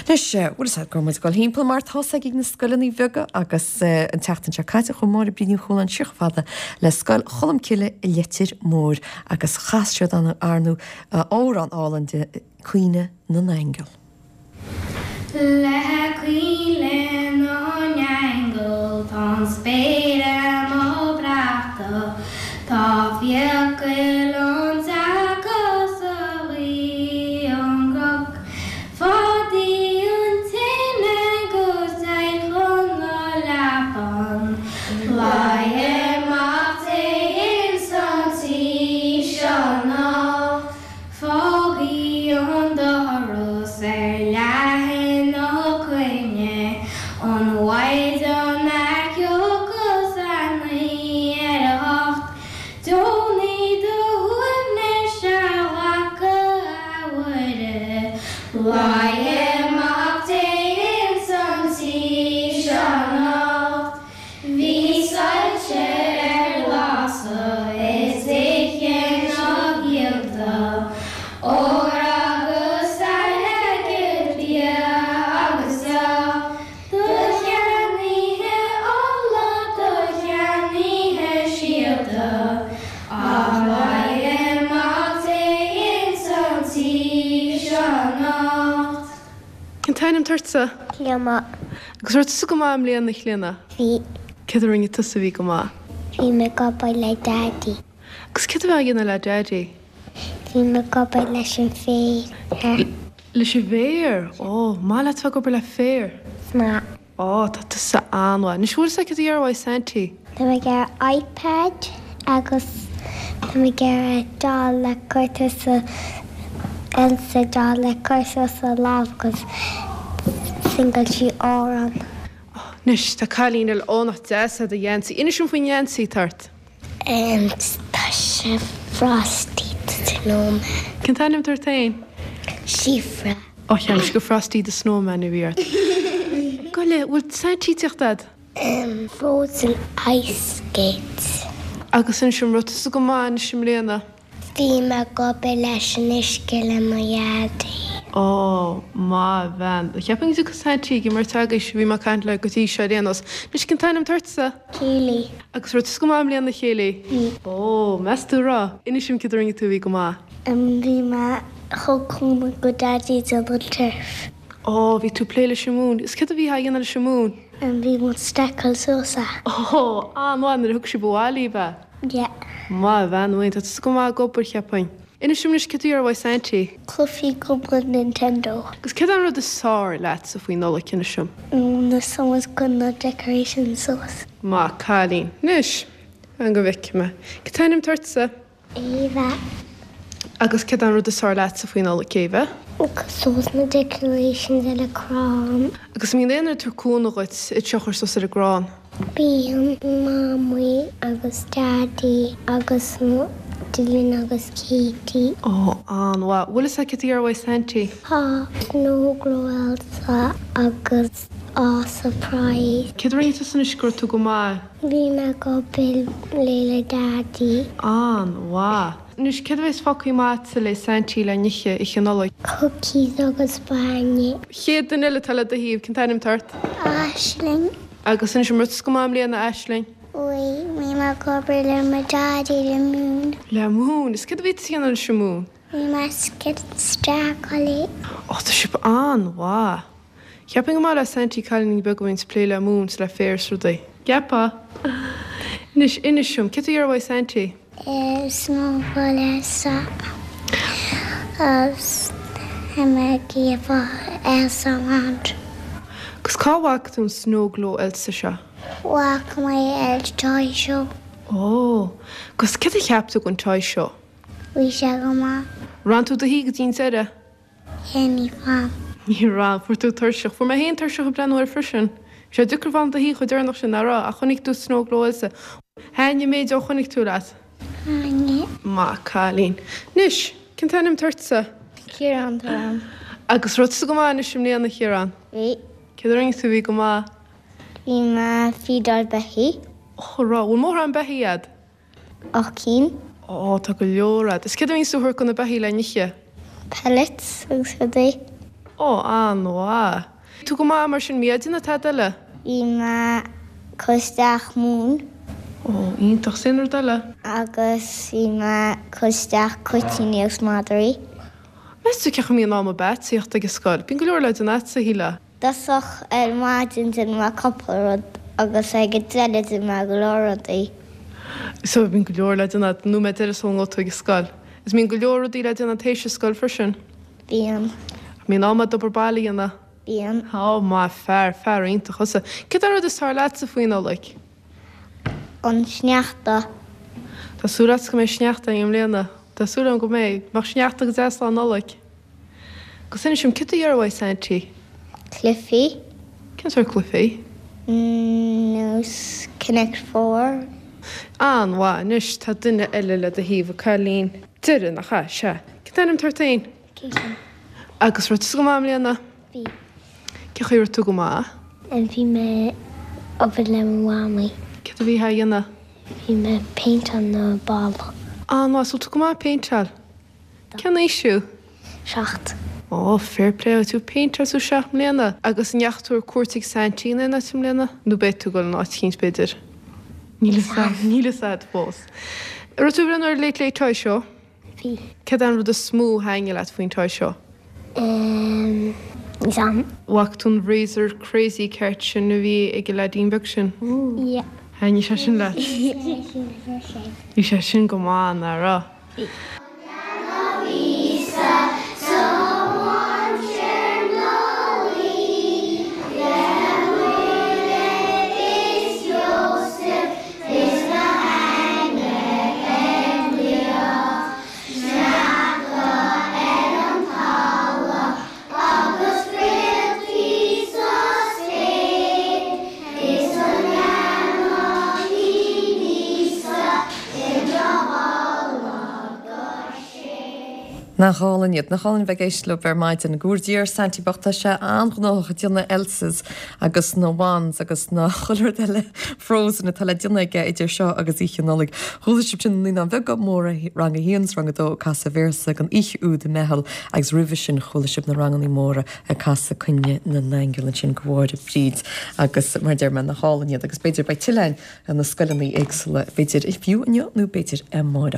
Anois, bhfuil fhios a'd go raibh muid ag dul thimpeall mar tá's ag na scoileanna beaga agus an tseachtain seo caite chuaigh Máire Bríd Ní Chualáin siar chomh fada le Scoil Cholmcille i Leitir Móir agus chas siad ar ndóigh amhrán álainn de Caoineadh na nAingeal. Le caoineadh na n-aingeal tá an spéir amuigh breactha, tá fiacail an tseaca sa ghaoth ón gcnoc. Fadaigh an tine 'gus téigh chun na leapan, Leigheadh Mac Dé ins an tí seo anocht. Fágaigí an doras ar leathan ná coinnigh an Mhaighdean a thiocfas a naoi ar a hocht. Deonaigh do shuaimhneas a ghlacadh, a Mhuire, Leigheadh Mac Dé ins an tí seo anocht. Bhí soilse ar lasadh i dtithe na gcianta, ór agus airgead, bia agus deoch. Do cheannaithe ola, do cheannaithe síolta, ach leigheadh Mac Dé ins an tí seo anocht. Cén t-ainm atá ortsa? Clíona. Agus raibh tusa go maith i mbliana, a Chlíona? Bhí. Céard a rinne tusa a bhí go maith? Bhí mé ag obair le Daidí. Agus céard a bhí á dhéanamh le Daidí? Bhí mé ag obair leis an bhféar. Leis an bhféar? Ó, maith leat bheith ag obair le féar? Is maith. Ó, tá tusa an-mhaith. Anois, bhfuil fhios agat céard a iarrfaidh Saintí? Tá mé ag iarraidh iPad agus tá mé ag iarraidh doll le cur suas Elsa doll le cur suas a lámh agus singeáil sí amhrán. Anois, tá cailín eile. Ó, nach deas é do gheansaí. Inis dom faoin ngeansaí atá ort. Tá sé Frosty the Snowman. Cén t-ainm atá ort féin? Síofra. Ó, cheap mise gur Frosty the Snowman a bhí ort. Gabh i leith, bhfuil Saintí ag tíocht a'd? Frozen ice skates. Agus inis dom, raibh tusa go maith anois i mbliana? Bhí mé ag obair leis an uisce le mo dhaidí. Ó, maith bhean. Cheapfainn go dtiocfadh Saintí ag imirt agaibhse, bhí mé ag caint leo go dtí seo ar aon nós. Anois, cén t-ainm atá ortsa? Kayleigh. Agus raibh tusa go maith i mbliana, a Kayleigh? Bhí. Ó, meas tú raibh? Inis dom céard a rinne tú a bhí go maith. Bhí mé thug cúnamh go daidí déanamh an turf. Ó, bhí tú ag plé leis an moon. Is céard a bhí á dhéanamh leis an moon? Bhí muid stackáil suas é. Ó, an-mhaith nuair a thug sibh abhaile í, ab ea? Yeah. Maith bhean amháin, tá tusa go maith ag obair, cheapfainn. Inis dom anois céard a iarrfaidh Saintí? Cluichí cúpla Nintendo. Agus céard é an rud is fearr leatsa faoi Nollaig, inis dom? Na suas go na decorations suas. Maith cailín. Anois, fan go bhfeicfidh mé. Cén t-ainm atá ortsa? Éabha. Agus céard é an rud is fearr leatsa faoi Nollaig, Éabha? Suas na decorations ar an crann. Agus an mbíonn aon duine ag tabhairt cúnamh dhuit iad seo a chur suas ar an gcrann? Bíonn Mamaí agus Daidí agus Dylan agus Katie. Ó, an-mhaith. Bhfuil fhios agat céard a iarrfaidh Saintí? Tá Snow Glow Elsa agus Aw Surprise. Céard a rinne tusa anois go raibh tú go maith? Bhí mé ag obair le le Daidí. An-mhaith. Anois, céard a bheas fágtha amach agatsa le Saintí le n-ithe oíche Nollag? Cookies agus bainne. Chéad duine eile atá le do thaobh, cén t-ainm atá ort? Aisling. Agus inis dom, raibh tusa go maith i mbliana, a Aisling? Bhí, bhí mé ag obair le mo Dhaidí le moon. Le moon? Is céard a bhí tú a dhéanamh leis an moon? Bhí mé ag stackáil é. Ó, tá sibh an-mhaith. Cheapfainn gur maith le Saintí cailíní beaga a bhíonns ag plé le moon 's le féar 's rudaí. Gceapfá? Anois, inis dom, céard a iarrfaidh Saintí? Snow Glow Elsa agus tá mé ag iarraidh Elsa Land. Agus cá bhfaca tú an Snow Glow Elsa seo? Bhfaca mé ar Toy Show. Ó, agus céard a cheap tú den Toy Show? Bhí sé go maith. Raibh tú i do shuí go dtí an deireadh? Ní raibh. Ní raibh. Fuair tú tuirseach. Fuair mé féin tuirseach ag breathnú air freisin. Bhí sé deacair fanacht i do shuí chomh deireanach sin, nach raibh? Ach chonaic tú Snow Glow Elsa. Thaitnigh an méid ó chonaic tú leat? Thaitnigh. Maith cailín. Anois, cén t-ainm atá ortsa? Ciarán atá orm. Agus raibh tusa go maith anois i mbliana, a Chiaráin? Bhí. Céard a rinne tú a bhí go maith? Bhí mé ag feedáil beithí. Ó, raibh. Bhfuil mórán beithí a'd? 8 cinn. Ó, tá go leor a'd. Is céard a bhíonns tú a thabhairt go na beithí le n-ithe? Pellets agus rudaí. Ó, an-mhaith. Bhí tú go maith mar sin, bhí ag déanamh tada eile? Bhí mé ag cur isteach móin. Ó, iontach. 'S aon rud eile? Agus bhí mé ag cur isteach cuirtíní agus madraí. Meas tú cén chaoi a mbíonn am ag tíocht ag an scoil? Bíonn go leor le déanamh agatsa, a shílfeá. Dtosach ar maidin déanann mé cúpla rud agus ag an deireadh déanann mé go leor rudaí. So bíonn go leor le déanamh agat an nóiméad deiridh sula ngabhfaidh tú ag an scoil. Is mbíonn go leor rudaí le déanamh tar éis an scoil freisin? Bíonn. Mbíonn am agat obair baile a dhéanamh? Bíonn. Ó, maith fear, fear iontach thusa. Céard é an rud is fearr leatsa faoi Nollaig? An sneachta. Tá súil agat go mbeidh sneachta againn i mbliana. Tá súil agam go mbeidh. Bheadh sneachta go deas Lá Nollag. Agus inis dom, céard a iarrfá uaidh Saintí? Cluichí. Cén sórt cluichí? Nós Connect Four. An-mhaith. Anois tá duine eile le do thaobh, a cailín. Deireadh, nach ea? Sea. Cén t-ainm atá ort féin? Caitlin. Agus raibh tusa go maith i mbliana? Bhí. Cén chaoi a raibh tú go maith? Bhí mé ag obair le mo mhamaí. Céard a bhí a dhéanamh? Bhí mé ag péinteáil na balla. An-mhaith. Is bhfuil tú go maith ag péinteáil? Cén aois thú? 7. Ó, fair play duit, tú ag péinteáil is tú 7 mbliana. Agus an ndeachaigh tú ar cuairt ag Saintí in aon áit i mbliana? Nó beidh tú ag dul in áit eicínt b'fhéidir? Níl a fhios a'd, níl a fhios a'd fós. An raibh tú ag breathnú ar Late Late Toy Show? Bhí. Céard é an rud is mó a thaitnigh leat faoin Toy Show? Ehm, níl 's a'm. Bhfaca tú an Razor Crazy Cart sin a bhí ag an leaidín beag sin? Yeah. Thaitnigh sé sin leat? Bhí sé sin go maith, nach raibh? Bhí. Nach álainn iad. Nach álainn a bheith ag éisteacht leo ar maidin. Go bhfóire Dia ar Saintí bocht, tá sé an-ghnóthach ag déanamh Elsas agus na Wands agus na chuile rud eile Frozen atá le déanamh aige idir seo agus Oíche Nollag. Chuala sibh sin na Naíonáin Bheaga Móra, Rang a haon 's Rang a dó ag casadh véarsa den oíche úd i mBeithil agus roimhe sin chuala sibh na rangannaí móra ag casadh Coinnle na nAingeal ansin do Mháire Bríd agus mar a deir mé nach álainn iad agus b'fhéidir beidh tuilleadh na scoileanna éagsúla b'fhéidir fiú inniu nó b'fhéidir amárach.